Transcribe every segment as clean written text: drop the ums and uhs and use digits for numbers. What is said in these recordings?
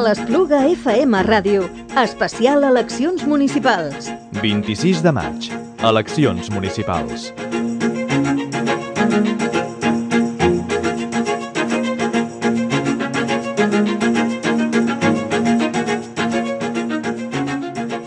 l'Espluga FM Ràdio. Especial eleccions municipals. 26 de maig. Eleccions municipals.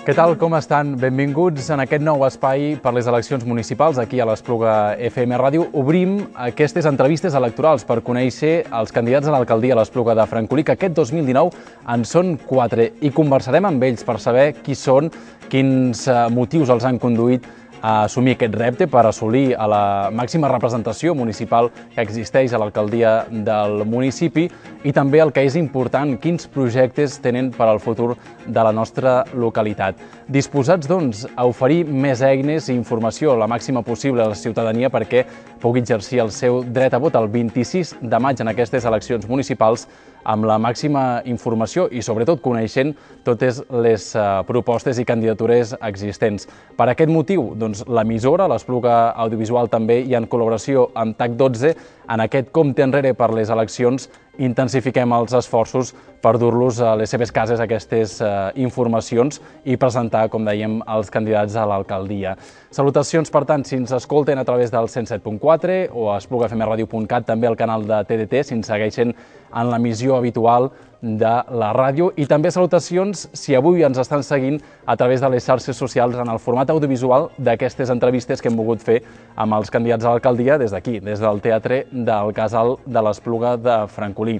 Què tal, com estan? Benvinguts en aquest nou espai per les eleccions municipals aquí a l'Espluga FM Ràdio. Obrim aquestes entrevistes electorals per conèixer els candidats a l'alcaldia a l'Espluga de Francolí, que aquest 2019 en són 4, i conversarem amb ells per saber qui són, quins motius els han conduït a assumir aquest repte per assolir a la màxima representació municipal que existeix a l'alcaldia del municipi, i també el que és important, quins projectes tenen per al futur de la nostra localitat. Disposats, doncs, a oferir més eines i informació la màxima possible a la ciutadania perquè pugui exercir el seu dret a vot el 26 de maig en aquestes eleccions municipals amb la màxima informació i, sobretot, coneixent totes les propostes i candidatures existents. Per aquest motiu, doncs, l'emissora, l'Espluga Audiovisual també, i en col·laboració amb TAC12, en aquest compte enrere per les eleccions, intensifiquem els esforços per dur-los a les seves cases aquestes informacions i presentar, com dèiem, els candidats a l'alcaldia. Salutacions, per tant, si ens escolten a través del 107.4 o a esplugafmradio.cat, també al canal de TDT, si ens segueixen en l'emissió habitual de la ràdio, i també salutacions si avui ens estan seguint a través de les xarxes socials en el format audiovisual d'aquestes entrevistes que hem volgut fer amb els candidats a l'alcaldia des d'aquí, des del Teatre del Casal de l'Espluga de Francolí.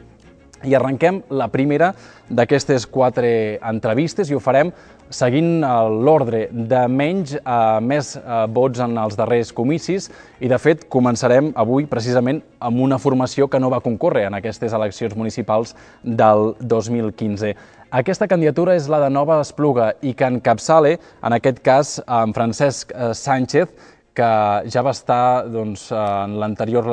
I arrenquem la primera d'aquestes 4 entrevistes i ho farem seguint l'ordre de menys a més vots en els darrers comicis, i de fet començarem avui precisament amb una formació que no va concórrer en aquestes eleccions municipals del 2015. Aquesta candidatura és la de Nova Espluga i que encapçala, en aquest cas, en Francesc Sánchez, que ja va estar en l'anterior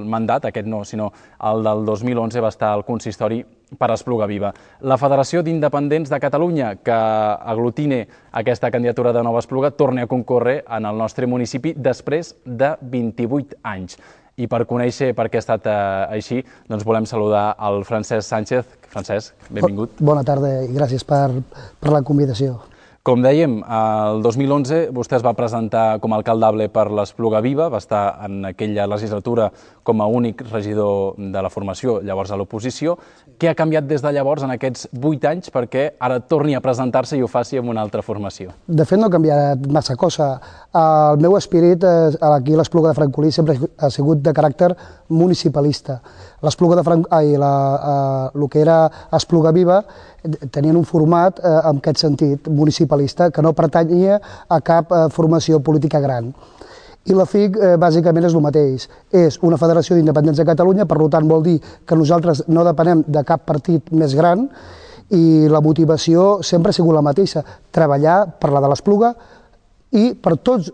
mandat, aquest no, sinó el del 2011, va estar al consistori per Espluga Viva. La Federació d'Independents de Catalunya, que aglutine aquesta candidatura de Nova Espluga, torna a concórrer en el nostre municipi després de 28 anys. I per conèixer per què ha estat així, doncs volem saludar el Francesc Sánchez. Francesc, benvingut. Bona tarda i gràcies per la convidació. Com dèiem, el 2011 vostè es va presentar com a alcaldable per l'Espluga Viva, va estar en aquella legislatura com a únic regidor de la formació, llavors a l'oposició. Què ha canviat des de llavors en aquests 8 anys perquè ara torni a presentar-se i ho faci amb una altra formació? De fet, no ha canviat massa cosa. El meu espírit aquí a l'Espluga de Francolí sempre ha sigut de caràcter municipalista. L'Espluga de Francolí, el que era Espluga Viva, tenien un format en aquest sentit municipalista que no pertanyia a cap formació política gran. I la FIC bàsicament és el mateix. És una federació d'independents de Catalunya, per tant vol dir que nosaltres no depenem de cap partit més gran, i la motivació sempre ha sigut la mateixa, treballar per la de l'Espluga i per tots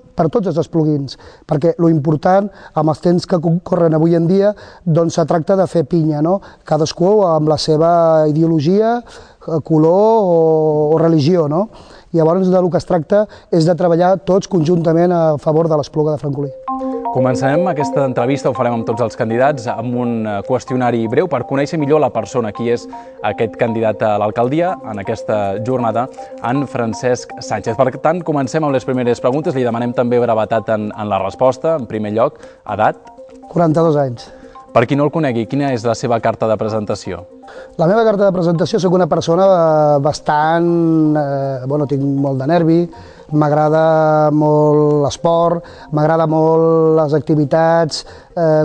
els espluguins, perquè l'important, amb els temps que concorren avui en dia, doncs se tracta de fer pinya, no? Cadascú amb la seva ideologia, color o religió, no? Llavors, del que es tracta és de treballar tots conjuntament a favor de l'Espluga de Francolí. Començarem aquesta entrevista, ho farem amb tots els candidats, amb un qüestionari breu per conèixer millor la persona, qui és aquest candidat a l'alcaldia en aquesta jornada, en Francesc Sánchez. Per tant, comencem amb les primeres preguntes. Li demanem també brevetat en la resposta. En primer lloc, edat? 42 anys. Per qui no el conegui, quina és la seva carta de presentació? La meva carta de presentació, soc una persona bastant... tinc molt de nervi, m'agrada molt l'esport, m'agrada molt les activitats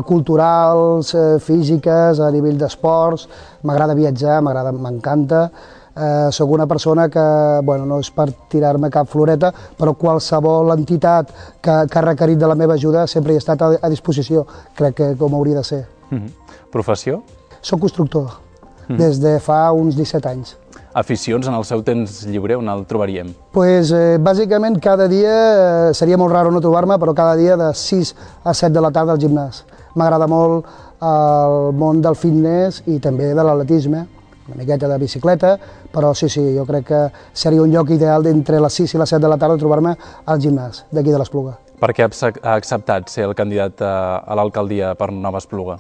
culturals, físiques, a nivell d'esports, m'agrada viatjar, m'encanta. Soc una persona que, no és per tirar-me cap floreta, però qualsevol entitat que ha requerit de la meva ajuda sempre hi ha estat a disposició, crec que com hauria de ser. Professió? Soc constructor, des de fa uns 17 anys. Aficions en el seu temps lliure, on el trobaríem? Bàsicament cada dia, seria molt raro no trobar-me, però cada dia de 6 a 7 de la tarda al gimnàs. M'agrada molt el món del fitness i també de l'atletisme, una miqueta de bicicleta, però sí, jo crec que seria un lloc ideal d'entre les 6 i les 7 de la tarda trobar-me al gimnàs d'aquí de l'Espluga. Per què ha acceptat ser el candidat a l'alcaldia per Nova Espluga?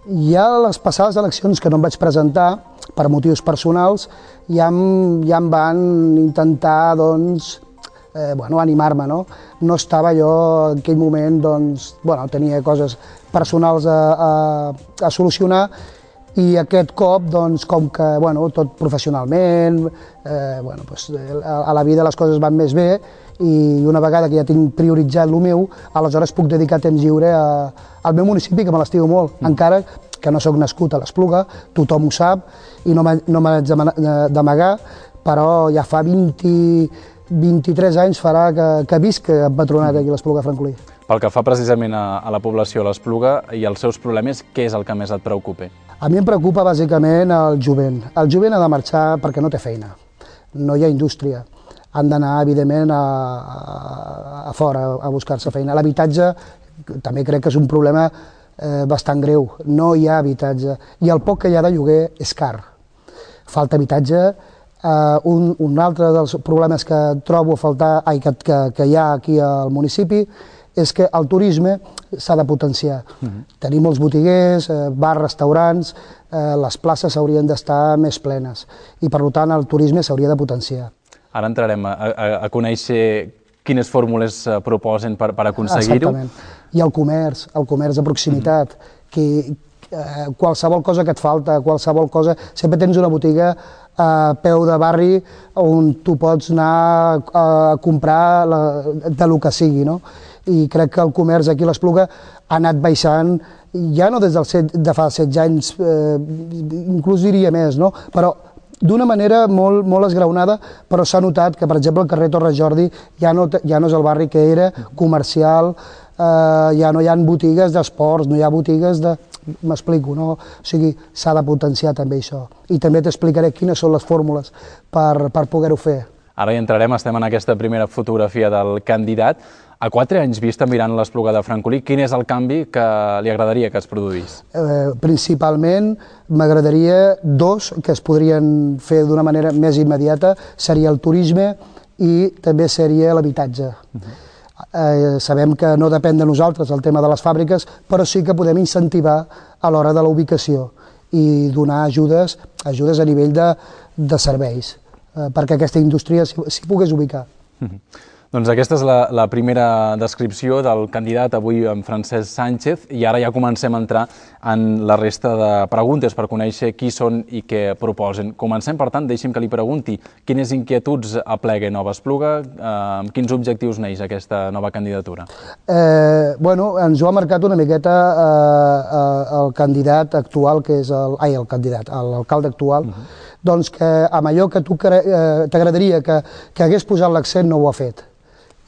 Ja a les passades eleccions que no em vaig presentar, per motius personals, ja em van intentar, doncs, animar-me, no? No estava jo en aquell moment, doncs, tenia coses personals a solucionar i aquest cop, doncs, com que, tot professionalment, a la vida les coses van més bé i una vegada que ja tinc prioritzat el meu, aleshores puc dedicar temps lliure al meu municipi, que me l'estimo molt, encara que no sóc nascut a l'Espluga, tothom ho sap i no m'haig d'amagar, però ja fa 23 anys farà que visc empadronat aquí a l'Espluga de Francolí. Pel que fa precisament a la població de l'Espluga i els seus problemes, què és el que més et preocupa? A mi em preocupa bàsicament el jovent. El jovent ha de marxar perquè no té feina, no hi ha indústria. Han d'anar, evidentment, a fora a buscar-se feina. L'habitatge també crec que és un problema bastant greu. No hi ha habitatge i el poc que hi ha de lloguer és car. Falta habitatge. Un altre dels problemes que trobo que hi ha aquí al municipi és que el turisme s'ha de potenciar. Tenim molts botiguers, bars, restaurants, les places haurien d'estar més plenes i per tant el turisme s'hauria de potenciar. Ara entrarem a conèixer quines fórmules proposen per aconseguir-ho. Exactament. I el comerç de proximitat, que qualsevol cosa que et falta, qualsevol cosa, sempre tens una botiga a peu de barri on tu pots anar a comprar del que sigui, no? I crec que el comerç aquí a l'Espluga ha anat baixant, ja no des de fa 16 anys, inclús diria més, no? Però d'una manera molt esgraonada, però s'ha notat que, per exemple, el carrer Torres Jordi ja no és el barri que era, comercial, ja no hi ha botigues d'esports, no hi ha botigues de... M'explico, no? O sigui, s'ha de potenciar també això. I també t'explicaré quines són les fórmules per poder-ho fer. Ara hi entrarem, estem en aquesta primera fotografia del candidat. A 4 anys vista mirant l'Espluga de Francolí, quin és el canvi que li agradaria que es produís? Principalment m'agradaria dos que es podrien fer d'una manera més immediata, seria el turisme i també seria l'habitatge. Sabem que no depèn de nosaltres el tema de les fàbriques, però sí que podem incentivar a l'hora de la ubicació i donar ajudes a nivell de serveis, perquè aquesta indústria s'hi pogués ubicar. Doncs aquesta és la primera descripció del candidat avui, en Francesc Sánchez, i ara ja comencem a entrar en la resta de preguntes per conèixer qui són i què proposen. Comencem, per tant, deixi'm que li pregunti quines inquietuds aplega Nova Espluga, amb quins objectius neix aquesta nova candidatura? Ens ho ha marcat una miqueta el candidat actual, que és l'alcalde actual, doncs que amb allò que tu t'agradaria que hagués posat l'accent no ho ha fet.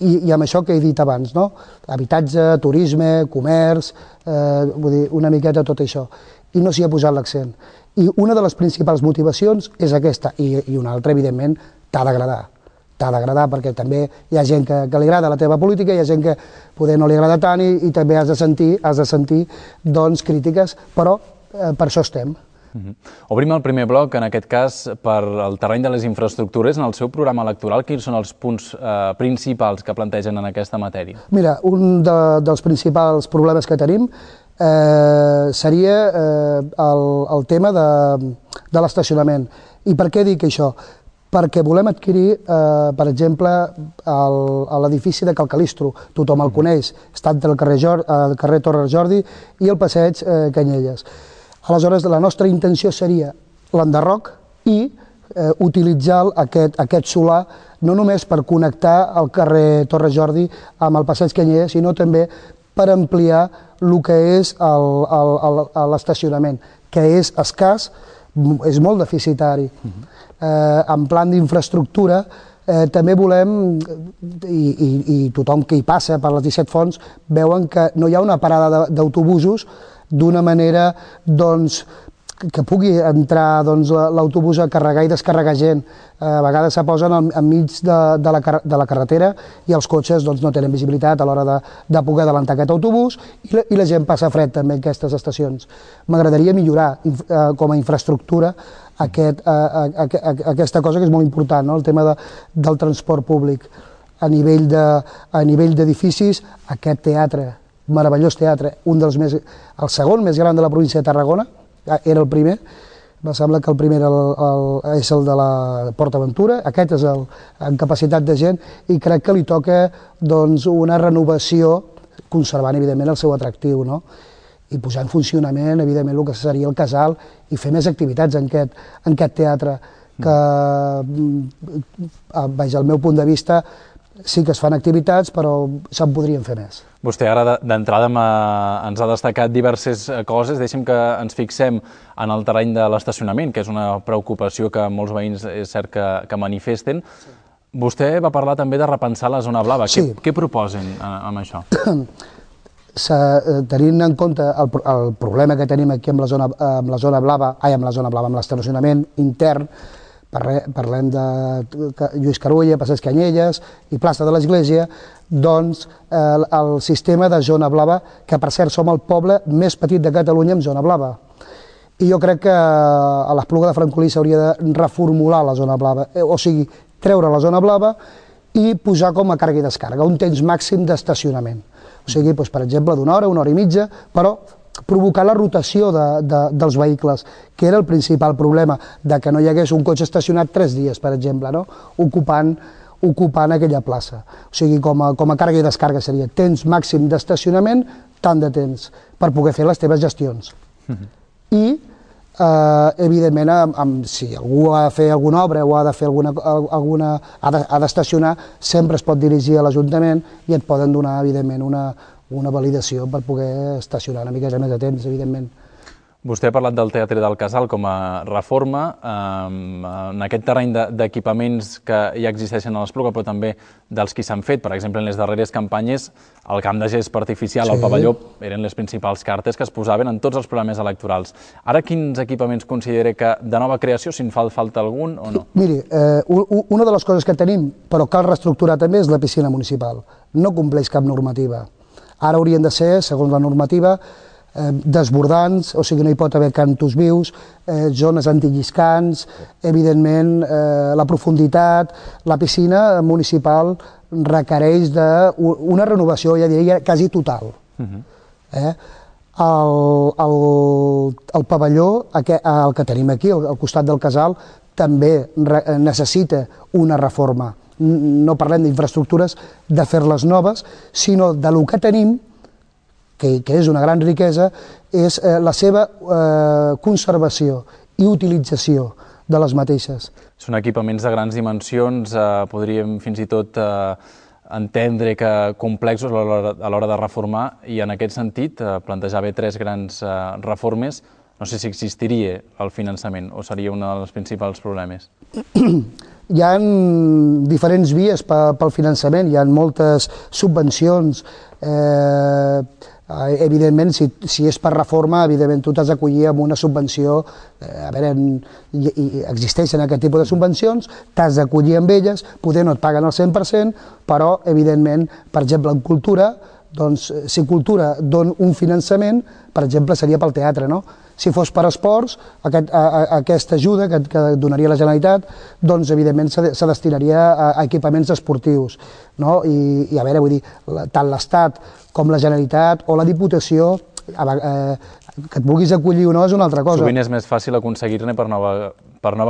I amb això que he dit abans, no? Habitatge, turisme, comerç, vull dir, una miqueta tot això. I no s'hi ha posat l'accent. I una de les principals motivacions és aquesta, i una altra, evidentment, t'ha d'agradar. T'ha d'agradar perquè també hi ha gent que li agrada la teva política, hi ha gent que poder no li agrada tant i també has de sentir doncs, crítiques, però per això estem. Obrim el primer bloc, en aquest cas, per al terreny de les infraestructures. En el seu programa electoral, quins són els punts principals que plantegen en aquesta matèria? Mira, un dels principals problemes que tenim seria el tema de l'estacionament. I per què dic això? Perquè volem adquirir, per exemple, l'edifici de Cal Calistro. Tothom el coneix, està entre el carrer Torres Jordi i el passeig Canyelles. Aleshores, la nostra intenció seria l'enderroc i utilitzar aquest solar no només per connectar el carrer Torres Jordi amb el passeig Canyelles, sinó també per ampliar el que és l'estacionament, que és escàs, és molt deficitari. En plan d'infraestructura també volem, i tothom que hi passa per les 17 fonts, veuen que no hi ha una parada d'autobusos d'una manera que pugui entrar l'autobús a carregar i descarregar gent. A vegades se posen enmig de la carretera i els cotxes no tenen visibilitat a l'hora de poder adelantar aquest autobús i la gent passa fred també en aquestes estacions. M'agradaria millorar com a infraestructura aquesta cosa que és molt important, el tema del transport públic. A nivell d'edificis, aquest teatre meravellós teatre, el segon més gran de la província de Tarragona, era el primer, em sembla que el primer és el de la PortAventura, aquest és en capacitat de gent, i crec que li toca una renovació, conservant evidentment el seu atractiu, i posar en funcionament evidentment el que seria el casal i fer més activitats en aquest teatre, que, al meu punt de vista, sí que es fan activitats, però se'n podrien fer més. Vostè ara d'entrada ens ha destacat diverses coses. Deixem que ens fixem en el terreny de l'estacionament, que és una preocupació que molts veïns és cert que manifesten. Vostè va parlar també de repensar la zona blava. Sí. Què proposen amb això? Tenint en compte el problema que tenim aquí amb l'estacionament intern, parlem de Lluís Carulla, Passeig Canyelles i plaça de l'Església, doncs el sistema de zona blava, que per cert som el poble més petit de Catalunya amb zona blava. I jo crec que a l'Espluga de Francolí s'hauria de reformular la zona blava, o sigui, treure la zona blava i posar com a càrrega i descàrrega, un temps màxim d'estacionament. O sigui, per exemple, d'una hora i mitja, però provocar la rotació dels vehicles, que era el principal problema, de que no hi hagués un cotxe estacionat 3 dies, per exemple, ocupant aquella plaça. O sigui, com a càrrega i descàrrega seria temps màxim d'estacionament, tant de temps, per poder fer les teves gestions. I, evidentment, si algú ha de fer alguna obra o ha de fer ha d'estacionar, sempre es pot dirigir a l'Ajuntament i et poden donar, evidentment, una validació per poder estacionar una miqueta més de temps, evidentment. Vostè ha parlat del Teatre del Casal com a reforma. En aquest terreny d'equipaments que ja existeixen a l'Espluga, però també dels que s'han fet, per exemple, en les darreres campanyes, el camp de gespa artificial, el pavelló, eren les principals cartes que es posaven en tots els programes electorals. Ara, quins equipaments considera que de nova creació, si en falta algun o no? Miri, una de les coses que tenim, però cal reestructurar també, és la piscina municipal. No compleix cap normativa. Ara haurien de ser, segons la normativa, desbordants, o sigui, no hi pot haver cantos vius, zones antilliscants, evidentment, la profunditat. La piscina municipal requereix una renovació, ja diria, quasi total. El pavelló, el que tenim aquí, al costat del casal, també necessita una reforma. No parlem d'infraestructures, de fer-les noves, sinó de lo que tenim, que és una gran riquesa, és la seva conservació i utilització de les mateixes. Són equipaments de grans dimensions, podríem fins i tot entendre que complexos a l'hora de reformar, i en aquest sentit plantejar bé 3 grans reformes. No sé si existiria el finançament o seria un dels principals problemes. Hi ha diferents vies pel finançament, hi ha moltes subvencions. Evidentment, si és per reforma, evidentment tu t'has d'acollir amb una subvenció. A veure, existeixen aquest tipus de subvencions, t'has d'acollir amb elles, poder no et paguen el 100%, però, evidentment, per exemple, en cultura, doncs, si cultura dona un finançament, per exemple, seria pel teatre, no? Si fos per esports, aquesta ajuda que donaria la Generalitat, doncs, evidentment, se destinaria a equipaments esportius, no? I, a veure, vull dir, tant l'Estat com la Generalitat o la Diputació, que et vulguis acollir o no és una altra cosa. Sovint és més fàcil aconseguir-ne per nova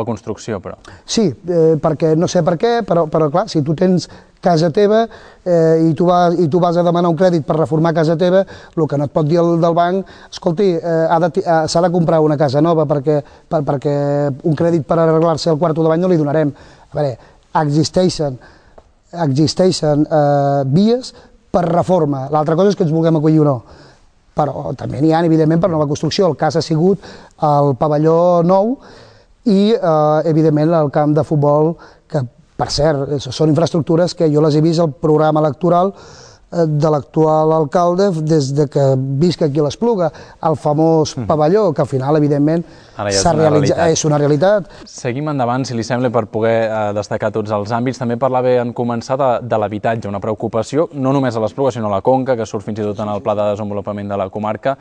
construcció, però. Sí, perquè no sé per què, però clar, si tu tens casa teva i tu vas a demanar un crèdit per reformar casa teva, el que no et pot dir el del banc, escolti, s'ha de comprar una casa nova perquè un crèdit per arreglar-se el quarto de bany no li donarem. A veure, existeixen vies per reforma. L'altra cosa és que ens vulguem acollir o no. Però també n'hi ha, evidentment, per nova construcció. El cas ha sigut el pavelló nou i, evidentment, el camp de futbol, que, per cert, són infraestructures que jo les he vist al programa electoral de l'actual alcalde des que visc aquí a l'Espluga, el famós pavelló, que al final, evidentment, és una realitat. Seguim endavant, si li sembla, per poder destacar tots els àmbits. També parlava en començar de l'habitatge, una preocupació, no només a l'Espluga, sinó a la Conca, que surt fins i tot en el pla de desenvolupament de la comarca.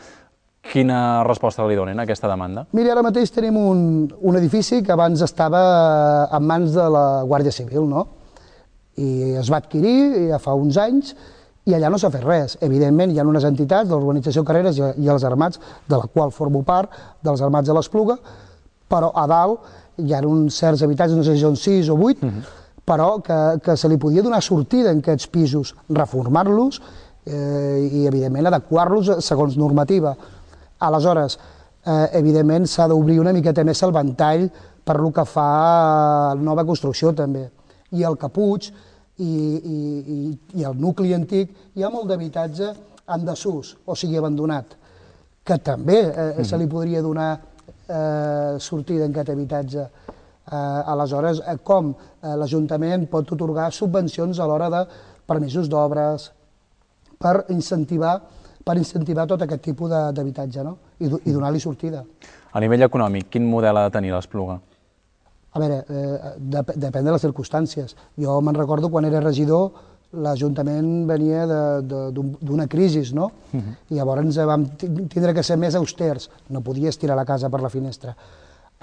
Quina resposta li donen a aquesta demanda? Mira, ara mateix tenim un edifici que abans estava en mans de la Guàrdia Civil, no? I es va adquirir ja fa uns anys, I allà no s'ha fet res. Evidentment, hi ha unes entitats de l'Urbanització Carreres i els Armats, de la qual formo part, dels Armats de l'Espluga, però a dalt hi ha uns certs habitatges, no sé si són 6 o 8, però que se li podia donar sortida en aquests pisos, reformar-los i, evidentment, adequar-los segons normativa. Aleshores, evidentment, s'ha d'obrir una miqueta més el ventall per lo que fa a nova construcció, també. I el Caputx i el nucli antic hi ha molt d'habitatge en desús, o sigui, abandonat, que també se li podria donar sortida en aquest habitatge. Aleshores, com l'Ajuntament pot atorgar subvencions a l'hora de permisos d'obres per incentivar tot aquest tipus d'habitatge, no? I donar-li sortida. A nivell econòmic, quin model ha de tenir l'Espluga? A veure, depèn de les circumstàncies. Jo me'n recordo quan era regidor, l'Ajuntament venia d'una crisi, no? I llavors vam tindre que ser més austers. No podies tirar la casa per la finestra.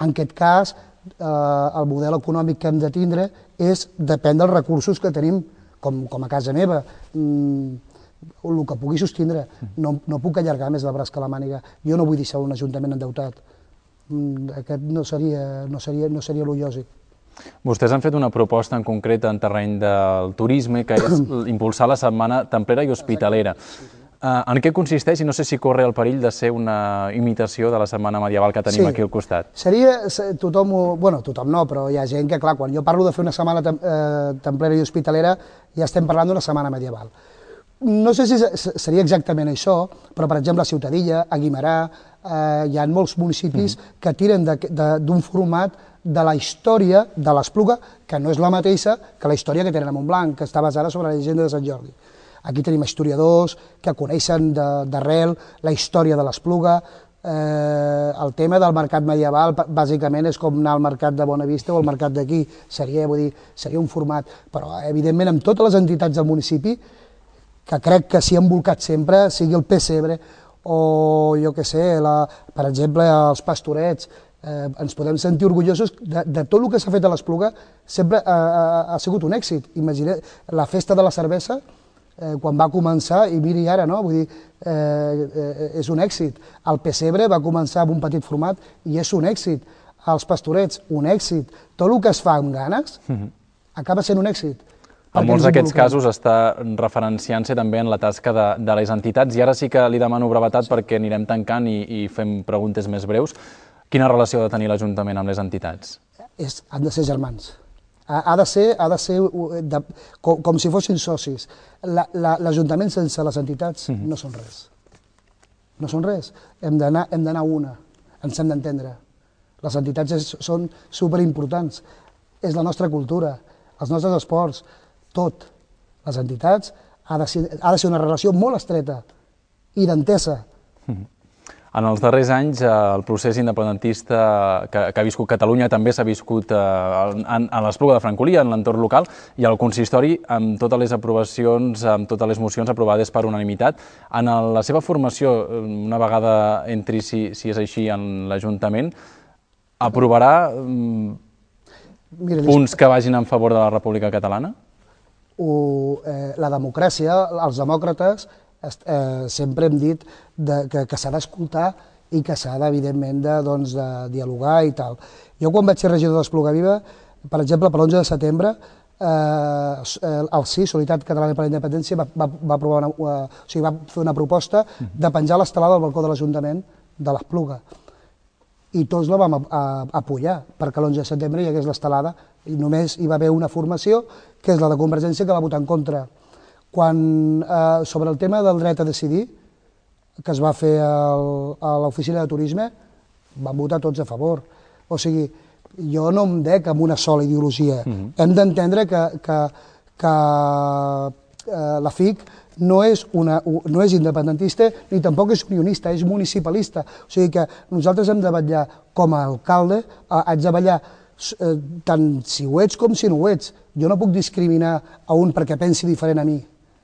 En aquest cas, el model econòmic que hem de tindre depèn dels recursos que tenim, com a casa meva, el que pugui sostindre. No puc allargar més el braç que la màniga. Jo no vull deixar un ajuntament endeutat. Aquest no seria lo lògic. Vostès han fet una proposta en concret en terreny del turisme, que és impulsar la Setmana Templera i Hospitalera. En què consisteix i no sé si corre el perill de ser una imitació de la Setmana Medieval que tenim aquí al costat? Tothom no, però hi ha gent que, clar, quan jo parlo de fer una Setmana Templera i Hospitalera, ja estem parlant d'una Setmana Medieval. No sé si seria exactament això, però, per exemple, a Ciutadilla, a Guimerà, hi ha molts municipis que tiren d'un format de la història de l'Espluga, que no és la mateixa que la història que tenen a Montblanc, que està basada sobre la llegenda de Sant Jordi. Aquí tenim historiadors que coneixen d'arrel la història de l'Espluga. El tema del mercat medieval, bàsicament, és com anar al mercat de Bonavista o al mercat d'aquí. Seria un format, però, evidentment, amb totes les entitats del municipi, que crec que s'hi han volcat sempre, sigui el Pessebre o, jo què sé, per exemple, els Pastorets, ens podem sentir orgullosos de tot el que s'ha fet a l'Espluga, sempre ha sigut un èxit. Imagina la festa de la cervesa, quan va començar, i miri ara, no? Vull dir, és un èxit. El Pessebre va començar amb un petit format i és un èxit. Els Pastorets, un èxit. Tot el que es fa amb ganes acaba sent un èxit. En molts d'aquests casos està referenciant-se també en la tasca de les entitats, i ara sí que li demano brevetat perquè anirem tancant i fem preguntes més breus. Quina relació ha de tenir l'Ajuntament amb les entitats? Han de ser germans. Ha de ser com si fossin socis. L'Ajuntament sense les entitats no són res. No són res. Hem d'anar una. Ens hem d'entendre. Les entitats són superimportants. És la nostra cultura, els nostres esports, tot. Les entitats ha de ser una relació molt estreta i d'entesa. En els darrers anys, el procés independentista que ha viscut Catalunya també s'ha viscut a l'Espluga de Francolí, en l'entorn local, i al consistori, amb totes les aprovacions, amb totes les mocions aprovades per unanimitat. En la seva formació, una vegada entri, si és així, en l'Ajuntament, aprovarà punts que vagin en favor de la República Catalana? La democràcia, els demòcrates, sempre hem dit que s'ha d'escoltar i que s'ha, evidentment, de dialogar i tal. Jo, quan vaig ser regidor d'Espluga Viva, per exemple, per l'11 de setembre, el CIS, Solidaritat Catalana per la Independència, va fer una proposta de penjar l'estelada al balcó de l'Ajuntament de l'Espluga. I tots la vam apoyar, perquè l'11 de setembre hi hagués l'estelada, i només hi va haver una formació, que és la de Convergència, que va votar en contra. Sobre el tema del dret a decidir, que es va fer a l'oficina de turisme, van votar tots a favor. O sigui, jo no em dec amb una sola ideologia. Hem d'entendre que la FIC no és independentista ni tampoc és unionista, és municipalista. O sigui que nosaltres hem de vetllar com a alcalde, haig de vetllar tant si ho ets com si no ho ets. Jo no puc discriminar a un perquè pensi diferent a mi,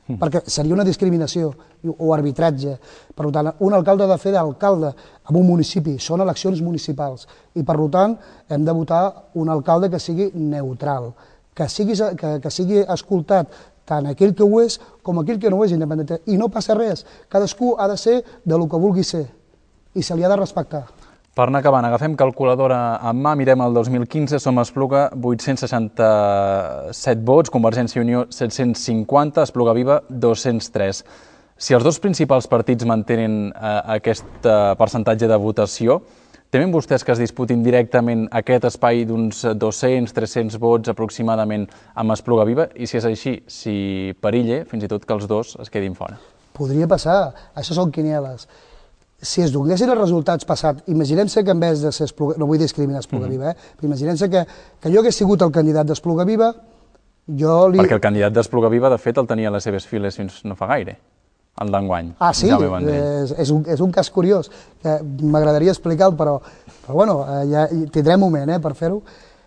perquè seria una discriminació o arbitratge. Per tant, un alcalde ha de fer d'alcalde en un municipi, són eleccions municipals, i per tant hem de votar un alcalde que sigui neutral, que sigui escoltat tant aquell que ho és com aquell que no ho és independentista. I no passa res, cadascú ha de ser del que vulgui ser i se li ha de respectar. Per anar acabant, agafem calculadora en mà, mirem el 2015, som Espluga 867 vots, Convergència i Unió 750, Espluga Viva 203. Si els dos principals partits mantenen aquest percentatge de votació, temen vostès que es disputin directament aquest espai d'uns 200-300 vots aproximadament amb Espluga Viva? I si és així, si perille fins i tot que els dos es quedin fora? Podria passar, això són quinieles. Si es donessin els resultats passats, imaginem-se que en vez de ser Espluga, no vull discriminar Espluga Viva, però imaginem-se que jo hagués sigut el candidat d'Espluga Viva, Perquè el candidat d'Espluga Viva, de fet, el tenia a les seves files fins no fa gaire, el d'enguany. Ah, sí? És un cas curiós, que m'agradaria explicar-lo, però bueno, ja tindrem moment per fer-ho.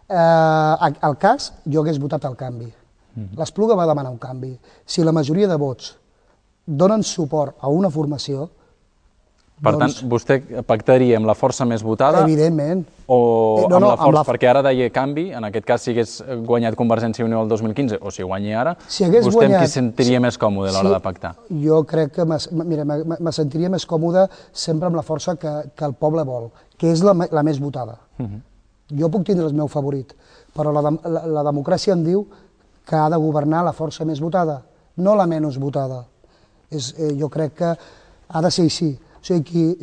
El cas, jo hagués votat el canvi. L'Espluga va demanar un canvi. Si la majoria de vots donen suport a una formació, per tant, vostè pactaria amb la força més votada? Evidentment. O amb la força? Perquè ara deia canvi, en aquest cas si hagués guanyat Convergència i Unió el 2015, o si guanyi ara, vostè amb qui sentiria més còmode a l'hora de pactar? Jo crec que, mira, me sentiria més còmode sempre amb la força que el poble vol, que és la més votada. Jo puc tindre el meu favorit, però la democràcia em diu que ha de governar la força més votada, no la menys votada. Jo crec que ha de ser així. O sigui,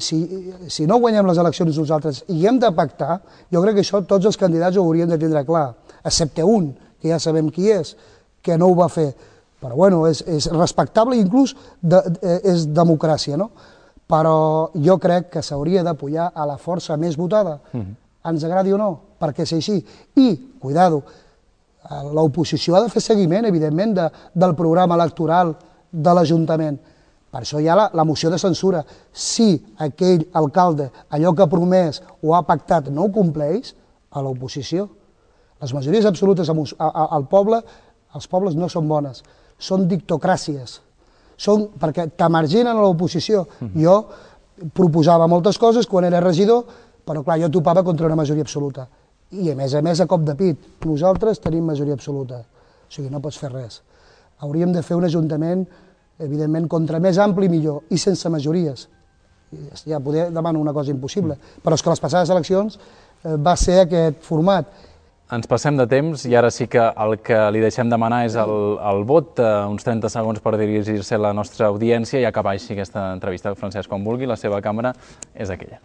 si no guanyem les eleccions nosaltres i hem de pactar, jo crec que això tots els candidats ho haurien de tindre clar, excepte un, que ja sabem qui és, que no ho va fer. Però bueno, és respectable i inclús és democràcia, no? Però jo crec que s'hauria d'apoyar a la força més votada, ens agradi o no, perquè és així. I, cuidado, l'oposició ha de fer seguiment, evidentment, del programa electoral de l'Ajuntament. Per això hi ha la moció de censura. Si aquell alcalde, allò que ha promès o ha pactat, no ho compleix, a l'oposició. Les majories absolutes al poble, els pobles no són bones, són dictocràcies. Són perquè t'emarginen a l'oposició. Jo proposava moltes coses quan era regidor, però clar, jo topava contra una majoria absoluta. I a més a cop de pit, nosaltres tenim majoria absoluta. O sigui, no pots fer res. Hauríem de fer un ajuntament, evidentment, contra més ampli millor, i sense majories. Ja poder demanar una cosa impossible. Però és que les passades eleccions va ser aquest format. Ens passem de temps i ara sí que el que li deixem demanar és el vot, uns 30 segons per dirigir-se a la nostra audiència i acabar així aquesta entrevista. Francesc, com vulgui, la seva càmera és aquella.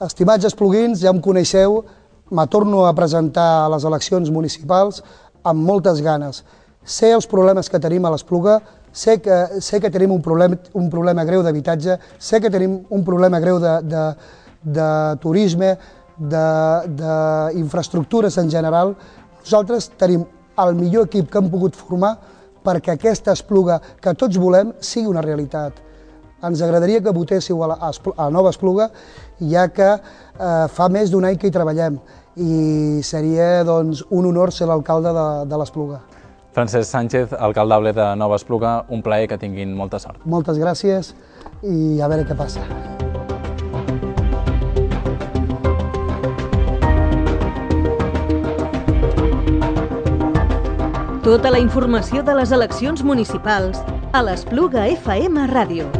Estimats espluguins, ja em coneixeu, me torno a presentar a les eleccions municipals amb moltes ganes. Sé els problemes que tenim a l'Espluga, sé que tenim un problema greu d'habitatge, sé que tenim un problema greu de turisme, d'infraestructures en general. Nosaltres tenim el millor equip que hem pogut formar perquè aquesta Espluga que tots volem sigui una realitat. Ens agradaria que votéssiu a la nova Espluga, ja que fa més d'un any que hi treballem i seria un honor ser l'alcalde de l'Espluga. Francesc Sánchez, alcaldable de Nova Espluga, un plaer, que tinguin molta sort. Moltes gràcies i a veure què passa. Tota la informació de les eleccions municipals a l'Espluga FM Ràdio.